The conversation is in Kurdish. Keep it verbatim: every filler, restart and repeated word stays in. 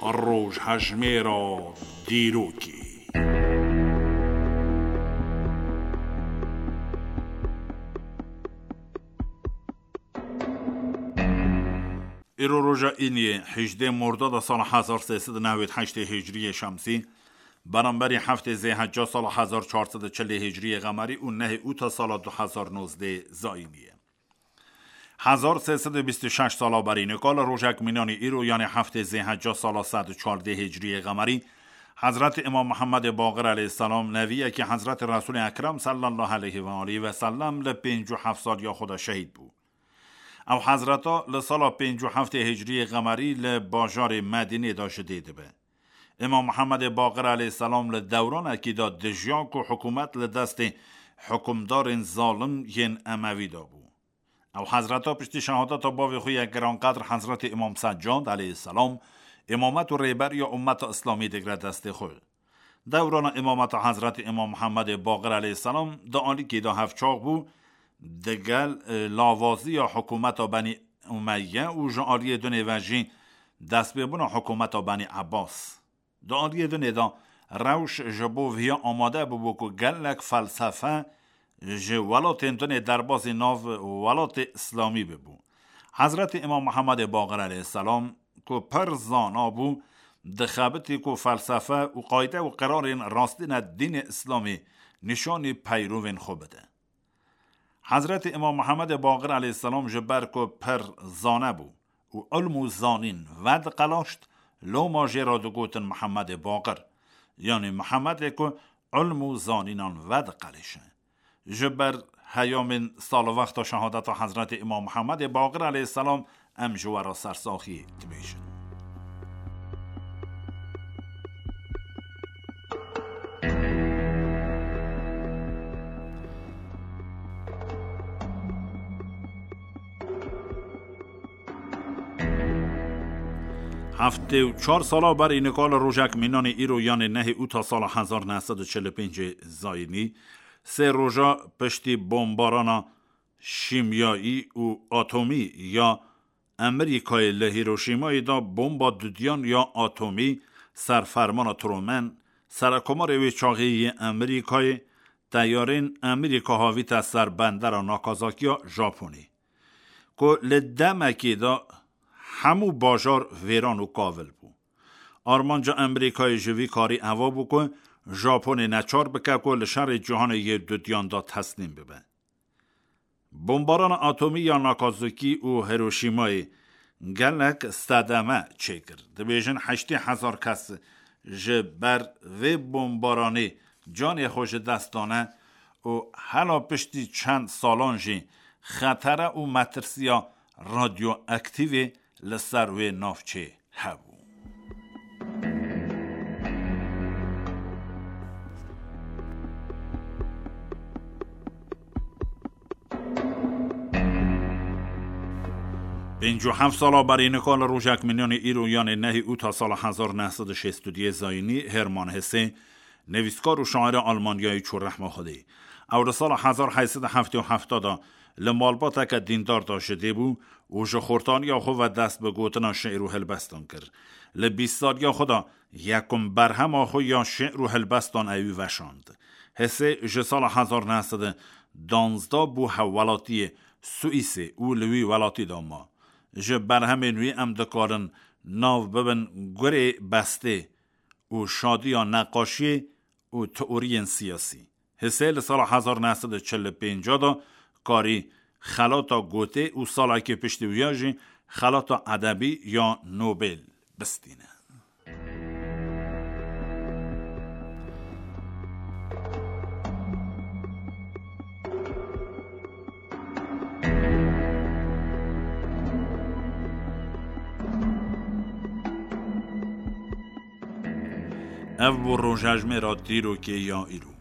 Rojhejmêra dîrokê. Îro roja îniyê, hejdê Mordada sala hezar sê sed û newêd heştê Hicriyê Şemsî, beramberî heftê Zêhecca sala hezar çar sed û çilê Hicriyê Qemerî û nehê Ûta sala du hezar nozdê Zayînî ye. Hezar sê sed û bîst û şeş sala berî nika li rojek mînanî îro, yanê heftê Zêhecca sala sed û çardê Hicriyê Qemerî, Hezretî Îmam Mihemedê Baqir aleyhisselam, neviyekî Hezretî Resûlê Ekrem sallallahu aleyhi ve aleyhi ve sellem, li pêncî û heft saliya xwe de şehîd bû. Ew hezreta li sala pêncî û heftê Hicriyê Qemerî li bajarê Medînê de ji dê dibe. Îmam Mihemedê Baqir aleyhisselam li dewranekî de dijiya ku hikûmet li destê hikûmdarên zalim yên Emewî de bû. Ew hezreta piştî şehadeta bavê xwe yê giranqedr Hezretî Îmam Seccad aleyhisselam, îmamet û rêberiya ummeta Îslamî digre destê xwe. Dewrana îmameta Hezretî Îmam Mihemedê Baqir aleyhisselam di alîkî de hevçax bû, digel, e, lavaziya hikûmeta Benî Umeyye û ji aliyê dinê ve jî destpêbûna hikûmeta Benî Ebbas. Di aliyê dinê de rewş ji bo viya amade bûbû ku gelek felsefe ji welatên dinê derbasî nav welatê Îslamî bibû. Hezretî Îmam Mihemedê Baqir aleyhisselam ku pir zana bû, dixebitî ku felsefe û qayde û qirarên rastîne dînê Îslamî nîşanî peyrovên xwe bide. Hezretî Îmam Mihemedê Baqir aleyhisselam ji ber ku pir zane bû û ilm û zanîn vediqelaşt, loma jê re digotin Mihemedê Baqir, yanî Mihemedê ku ilm û zanînan vediqelêşe. Ji ber heyamên salwexta şehadeta Hezretî Îmam Mihemedê Baqir aleyhisselam em ji we re sersaxî dibêjin. Heftê û çar sala berî nika li rojek mînanê îro, yanê nehê Ûta sala hezar neh sed û çil û pêncê Zayînî, sê roja piştî bombarana şîmyayî û atomî ya Amerîkayê li Hîroşîmayê de bomba dudiyan ya atomî ser fermana Truman, serekomarê wê çaxê yê Amerîkayê, teyarên Amerîka havîte ser bendera Nakazakiya Japonê, ku li demekê de hemû bajar vêran û kavil bû. Armanca Amerîkayê ji vî karî eva bû ku Japonê neçar bike ku li şerê cîhanê yê dudiyan de teslîm bibe. Bombarana atomî ya Nakazaki û Hiroşîmayê gelek sedeme çêkir. Dibêjin heştê hezar kes ji ber vê bombaranê canê xwe ji dest dane û hela piştî çend salan jî xetere û metirsiya radyoaktîvê li ser wê navçê hebû. Pêncî û heft sala berî nika li rojek mînanê îro, yanê nehê Ûta sala hezar neh sed û şêst û duyê Zayînî, Hermann Hesse, nivîskar û şaira Almanyayê çû rehma Xwedê. Ew di sala hezar heyt sed û heftê û heft de li malbateke dîndar de ji dê bû û ji xortaniya xwe ve dest bi gotina şi'r û helbestan kir. Li bîst saliya xwe de yekum berhema xwe ya şi'r û helbestan ewî veşand. Hesse ji sala hezar neh sed û duwazdeh bû hevwelatiyê Swîsê û li wî welatî de ma. Ji berhemên wî em dikarin nav bibin Gurê Bestê û Şadiya Neqaşiyê û Teoriyên Siyasî. Hesse li sala hezar neh sed û çil û pênc de karî xelata gotê û salekê piştî wiya jî xelata edebî ya Nobel bistîne. Ev bû rojejmêra dîrokê ya îro.